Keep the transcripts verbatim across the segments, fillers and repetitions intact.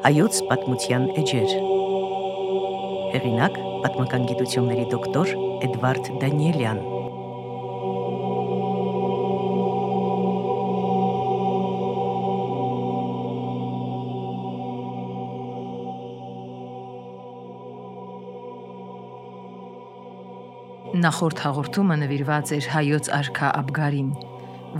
Հայոց պատմության էջեր։ Հեղինակ՝ պատմական գիտությունների դոկտոր Էդվարդ Դանիելյան։ Նախորդ հաղորդումը նվիրված էր հայոց արքա Աբգարին,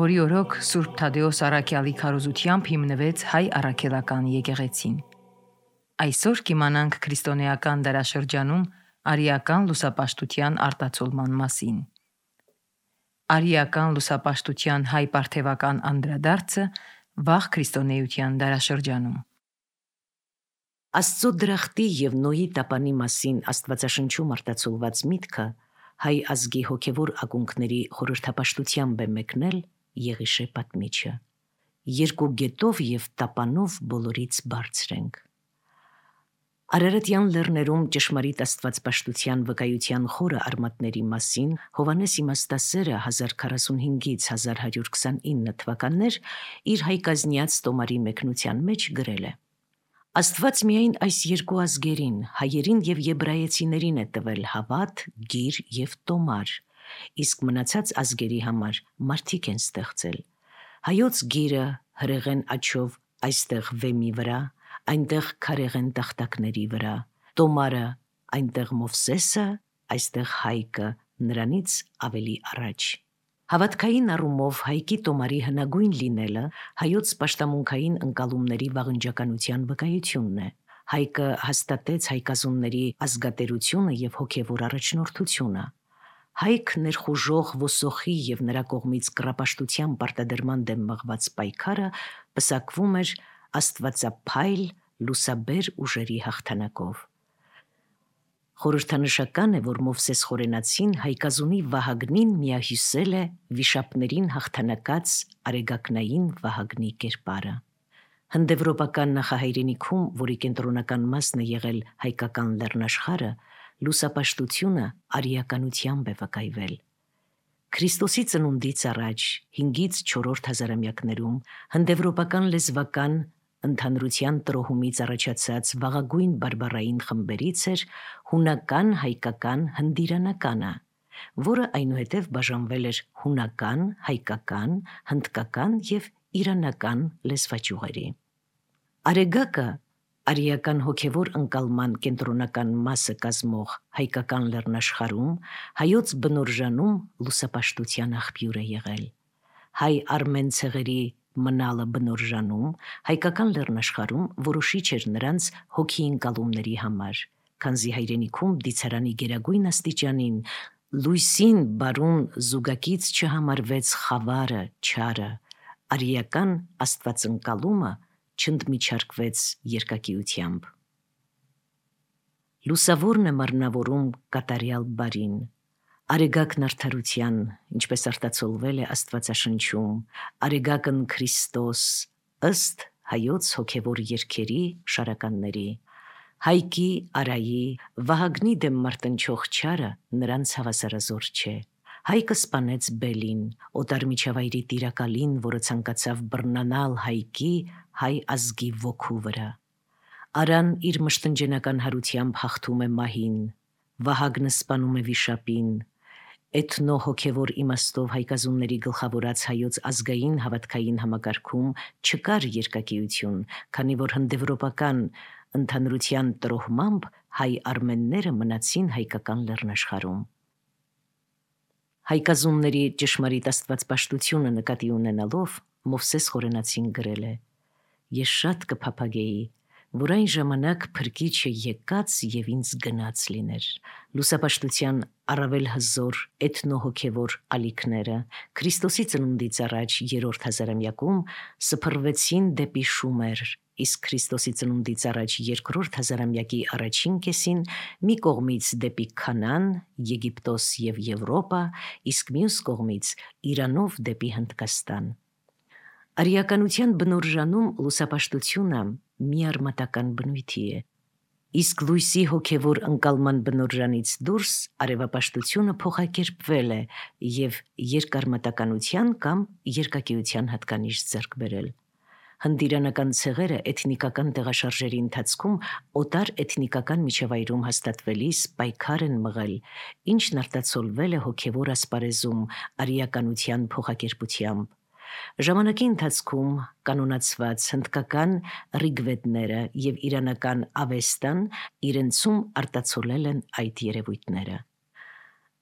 որի օրոք Սուրբ Թադեոս առաքյալի քարոզությամբ հիմնվեց հայ առաքելական եկեղեցին։ Այսօր կիմանանք քրիստոնեական դարաշրջանում արիական լուսապաշտության արտացոլման մասին։ Արիական լուսապաշտության հայ պարթևական անդրադարձը վաղ քրիստոնեության դարաշրջանում։ Աստծո դրախտի եւ Նոյի տապանի մասին Աստվածաշնչում արտացոլված միտքը հայ ազգի հոգևոր ակունքների խորհրդապաշտությամբ է մեկնել Եղիշե պատմիչը։ Երկու գետով եւ տապանով բոլորից բարձր ենք։ Արարատյան լեռներում ճշմարիտ աստվածպաշտության վկայության խորը արմատների մասին Հովհաննես իմաստասերը հազար քառասունհինգից հազար հարյուր քսանինը թվականներ իր հայկազնյաց տոմարի մեկնության մեջ գրել է. Աստված միայն այս երկու ազգերին, հայերին եւ եբրայեցիներին է տվել հավատ, գիր եւ տոմար, իսկ մնացած ազգերի համար մարդիկ են ստեղծել։ Հայոց գիրը հրեղեն աջով այստեղ վեմի վրա, այնտեղ քարեղեն տախտակների վրա, տոմարը այնտեղ Մովսեսը, այստեղ Հայկը, նրանից ավելի առաջ։ Հավատքային առումով հայկի տոմարի հնագույն լինելը հայոց պաշտամունքային ընկալումների վաղնջականության վկայությունն է։ Հայկը հաստատեց հայկազունների ազգատերությունը եւ հոգեվոր առաջնորդությունը։ Հայք ներխուժող ոսոխի եւ նրա կողմից կռապաշտության պարտադրման դեմ մղված պայքարը պսակվում էր աստվածափայլ լուսաբեր ուժերի հաղթանակով։ Խորհրդանշական է, որ Մովսես Խորենացին հայկազունի Վահագնին միահյուսել է վիշապներին հաղթանակած արեգակնային Վահագնի կերպարը։ Հնդեվրոպական նախահայրենիքում, որի կենտրոնական մասն է եղել հայկական լեռնաշխարհը, լուսապաշտությունը արիականությամբ է վկայվել։ Քրիստոսի ծնունդից առաջ հինգից չորրորդ հազարամյակներում հնդեվրոպական լեզվական ընդհանրության տրոհումից առաջացած վաղագույն բարբառային խմբերից էր հունական, հայկական, հնդիրանականը, որը այնուհետև բաժանվել էր հունական, հայկական, հնդկական եւ իրանական լեզվաճյուղերի։ Արեգակը արիական հոգևոր ընկալման կենտրոնական մասը կազմող հայկական լեռնաշխարհում հայոց բնօրժանում լուսապաշտության աղբյուր է եղել։ Հայ արմեն ցեղերի մնալը բնօրժանում հայկական լեռնաշխարհում որոշիչ էր նրանց հոգի ընկալումների համար, քանզի հայրենիքում դիցարանի գերագույն աստիճանին լույսին բարուն զուգակից չհամարվեց խավարը, չարը, արիական աստվածընկալումը չընդմիջարկվեց երկակիությամբ։ Լուսավորն է մարմնավորում կատարյալ բարին, արեգակն արդարության, ինչպես արտացոլվել է Աստվածաշնչում, արեգակն Քրիստոս, ըստ հայոց հոգևոր երգերի շարականների, Հայկի, Արայի, Վահագնի դեմ մարտնչող չարը նրանց հավասարազոր չէ։ Հայկը սպանեց Բելին, օտար միջավայրի տիրակալին, որը ցանկացավ բռնանալ Հայկի, հայ ազգի ոգու վրա։ Արան իր մշտնջենական հարությամբ հաղթում է մահին, Վահագնը սպանում է վիշապին, էթնո հոգևոր իմաստով հայկազունների գլխավորած հայոց ազգային հավատքային համակարգում չկար երկակիություն, քանի որ հնդեվրոպական ընդհանրության տրոհմամբ հայ արմենները մնացին հայկական լեռնաշխարհում։ Հայկազունների ճշմարիտ աստվածպաշտությունը նկատի ունենալով Մովսես Խորենացին գրել է. Ես շատ կփափագեի, որ այն ժամանակ փրկիչը եկած եւ ինձ գնաց լիներ։ Լուսապաշտության առավել հզոր էթնոհոգևոր ալիքները Քրիստոսի ծնունդից առաջ երրորդ հազարամյակում սփռվեցին դեպի Շումեր, իսկ Քրիստոսի ծնունդից առաջ երկրորդ հազարամյակի առաջին կեսին մի կողմից դեպի Քանան, Եգիպտոս եւ Եվրոպա, իսկ մյուս կողմից Իրանով դեպի Հնդկաստան։ Արիականության բնօրժանում լուսապաշտությունը միարմատական բնույթի է, իսկ լույսի հոգևոր ընկալման բնօրժանից դուրս արևապաշտությունը փոխակերպվել է եւ երկարմատականության կամ երկակիության հատկանիշ ձեռք բերել։ Հնդիրանական ցեղերը էթնիկական տեղաշարժերի ընթացքում օտար էթնիկական միջավայրում հաստատվելիս պայքար են մղել, ինչն արտացոլվել է հոգևոր ասպարեզում արիականության փոխակերպությամբ։ Ժամանակի ընթացքում կանոնացված հնդկական ռիգվեդները և իրանական ավեստան իրենցում արտացոլել են այդ երևույթները։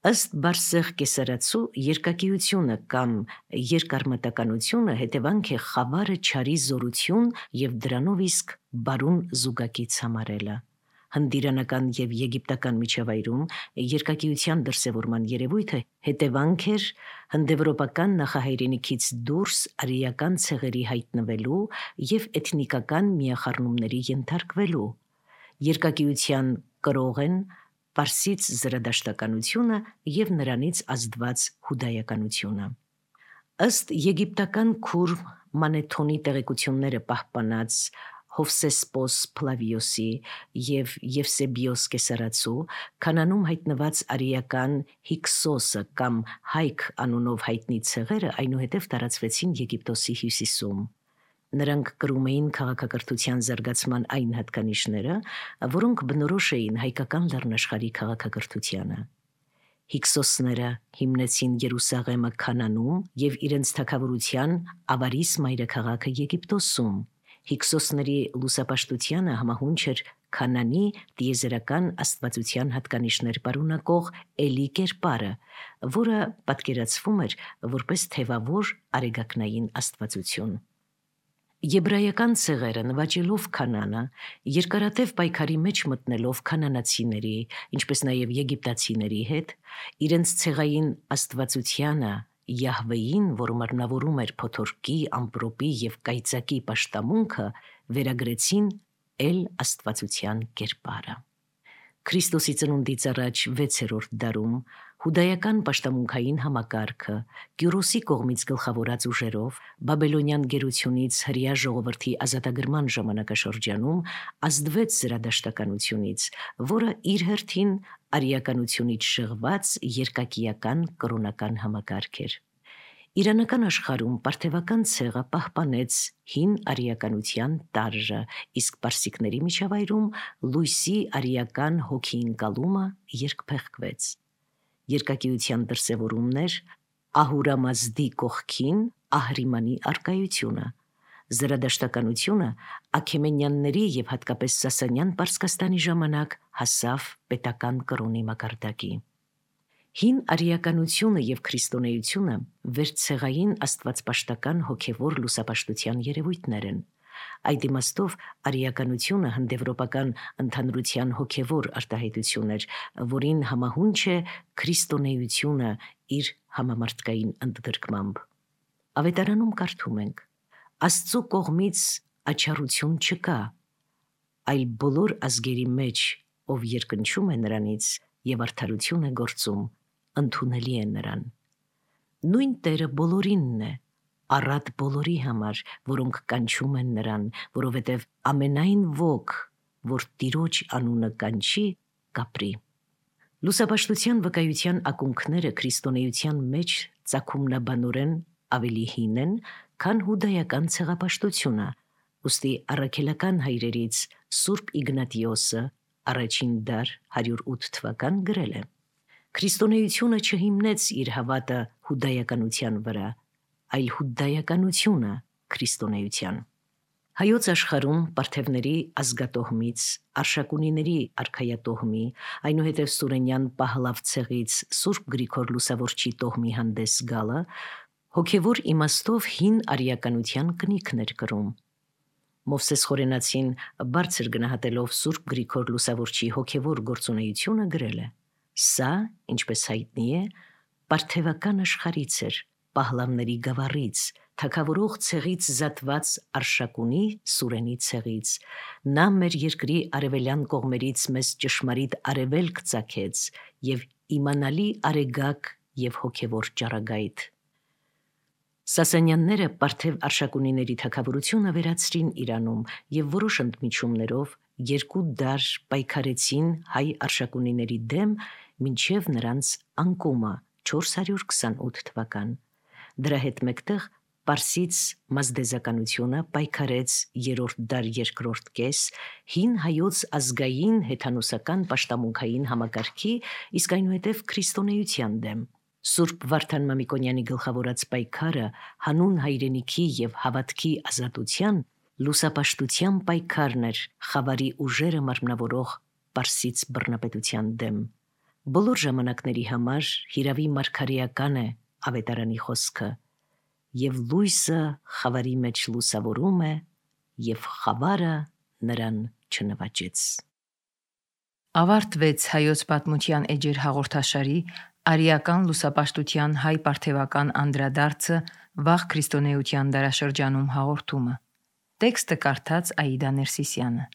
Ըստ Բարսեղ Կեսարացու երկակիությունը կամ երկարմատականությունը հետևանք է խավարը չարի զորություն և դրանով իսկ բարուն զուգակից համարելը։ Հնդիրանական և եգիպտական միջավայրում երկակիության դրսևորման երևույթը հետևանք էր հնդեվրոպական նախահայրենիքից դուրս արիական ցեղերի հայտնվելու և էթնիկական միախառնումների ենթարկվելու։ Երկակիության կրող են պարսից զրադաշտականությունը և նրանից ազդված հուդայականությունը։ Ըստ եգիպտական քուր Մանեթոնի տեղեկությունները պահպանած Հովսեսպոս Փլավիոսի և Եվսեբիոս Կեսարացու Քանանում հայտնված արիական Հիքսոսը կամ Հայք անունով հայտնի ցեղերը այնուհետև տարածվեցին Եգիպտոսի հյուսիսում։ Նրանք կրում էին քաղաքակրթության զարգացման այն հատկանիշները, որոնք բնորոշ էին հայկական լեռնաշխարհի քաղաքակրթությանը։ Հիքսոսները հիմնեցին Երուսաղեմը Քանանում և իրենց թագավորության ավարիս մայրաքաղաքը Եգիպտոսում։ Հիքսոսների լուսապաշտությանը համահունչ էր Քանանի տիեզերական աստվածության հատկանիշներ պարունակող Էլի կերպարը, որը պատկերացվում էր որպես թևավոր արեգակնային աստվածություն։ Եբրայական ցեղերը նվաճելով Քանանը, երկարատև պայքարի մեջ մտնելով քանանացիների, ինչպես նաև եգիպտացիների հետ, իրենց ցեղային աստվածությանը Յահվեին, որ մարմնավորում էր փոթորկի, ամպրոպի և կայծակի պաշտամունքը, վերագրեցին Էլ աստվածության կերպարը։ Քրիստոսի ծնունդից առաջ վեցերորդ դարում հուդայական պաշտամունքային համակարգը Կյուրոսի կողմից գլխավորած ուժերով բաբելոնյան գերությունից հրեա ժողովրդի ազատագրման ժամանակաշրջանում ազդվեց զրադաշտականությունից, որը իր հերթին արիականությունից շեղված երկակիական կրոնական համակարգ էր։ Իրանական աշխարհում պարթևական ցեղը պահպանեց հին արիականության տարրը, իսկ պարսիկների միջավայրում լույսի արիական հոգիընկալումը երկփեղկվեց։ Երկակիության դրսևորումն էր Ահուրամազդի կողքին Ահրիմանի առկայությունը։ Զրադաշտականությունը Աքեմենյանների և հատկապես Սասանյան Պարսկաստանի ժամանակ հասավ պետական կրոնի մակարդակի։ Հին արիականությունը և քրիստոնեությունը վերցեղային աստվածպաշտական հոգևոր լուսապաշտության երևույթներ են։ Այդ իմաստով արիականությունը հնդեվրոպական ընդհանրության հոգևոր արտահայտություն էր, որին համահունչ է քրիստոնեությունը իր համամարտկային ընդգրկմամբ։ Ավետարանում կարդում ենք. Աստծու կողմից աչառություն չկա, այլ բոլոր ազգերի մեջ, ով երկնչում է նրանից և արդարություն է գործում, ընդունելի է նրան։ Նույն Տերը բոլորինն է, առատ բոլորի համար, որոնք կանչում են նրան, որովհետև ամենայն ոք, որ Տիրոջ անունը կանչի, կապրի։ Լուսապաշտության վկայության ակունքները քրիստոնեության մեջ ծագումնաբանորեն ավելի հին են, քան հուդայական ցեղապաշտությունը, ուստի առաքելական հայրերից Սուրբ Իգնատիոսը առաջին դար հարյուր ութ թվական գրել է. Քրիստոնեությունը չհիմնեց իր հավատը հուդայականության վրա, այլ հուդայականությունը քրիստոնեության։ Հայոց աշխարհում պարթևների ազգատոհմից, արշակունիների արքայատոհմի, այնուհետև Սուրենյան Պահլավ ցեղից Սուրբ Գրիգոր Լուսավորչի տոհմի հանդես գալը հոգևոր իմաստով հին արիականության կնիքն էր կրում։ Մովսես Խորենացին բարձր գնահատելով Սուրբ Գրիգոր Լուսավորչի հոգևոր գործունեությունը գրել է. Սա, ինչպես հայտնի է, պարթևական աշխարհից էր, Պահլավների գավառից, թագավորող ցեղից զատված Արշակունի Սուրենի ցեղից։ Նա մեր երկրի արևելյան կողմերից մեզ ճշմարիտ արևելք ծագեց և իմանալի արեգակ և հոգևոր ճառագայթ։ Սասանյանները պարթև արշակունիների թագավորությունը վերացրին Իրանում և որոշ ընդմիջումներով երկու դար պայքարեցին հայ արշակունիների դեմ մինչև նրանց անկումը չորս հարյուր քսանութ թվական։ Դրա հետ մեկտեղ Պարսից մազդեզականությունը պայքարեց երրորդ դար երկրորդ կես հին հայոց ազգային հեթանոսական պաշտամունքային համակարգի, իսկ այնուհետև քրիստոնեության դեմ։ Սուրբ Վարդան Մամիկոնյանի գլխավորած պայքարը հանուն հայրենիքի եւ հավատքի ազատության լուսապաշտության պայքարն էր խավարի ուժերը մարմնավորող Պարսից բռնապետության դեմ։ Բոլոր ժամանակների համար հիրավի մարգարեական է ավետարանի խոսքը. «Եվ լույսը խավարի մեջ լուսավորում է, եւ խավարը նրան չնվաճեց»։ Ավարտվեց հայոց պատմության էջեր հաղորդաշարի արիական լուսապաշտության հայ պարթևական անդրադարձը վաղ քրիստոնեության դարաշրջանում հաղորդումը։ Տեքստը կարդաց Աիդա Ներսիսյանը։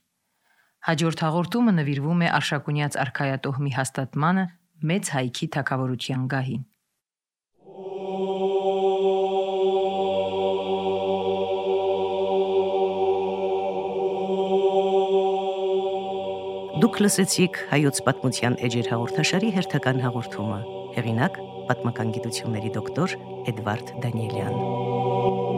Հաջորդ հաղորդումը նվիրվում է Արշակունյաց արքայատոհմի հաստատմանը Մեծ Հայքի թագավորության գահին։ Դուք լսեցիք հայոց պատմության էջեր հաղորդաշարի հերթական հաղորդումը։ Հեղինակ՝ պատմական գիտությունների դոկտոր Էդվարդ Դանիելյան։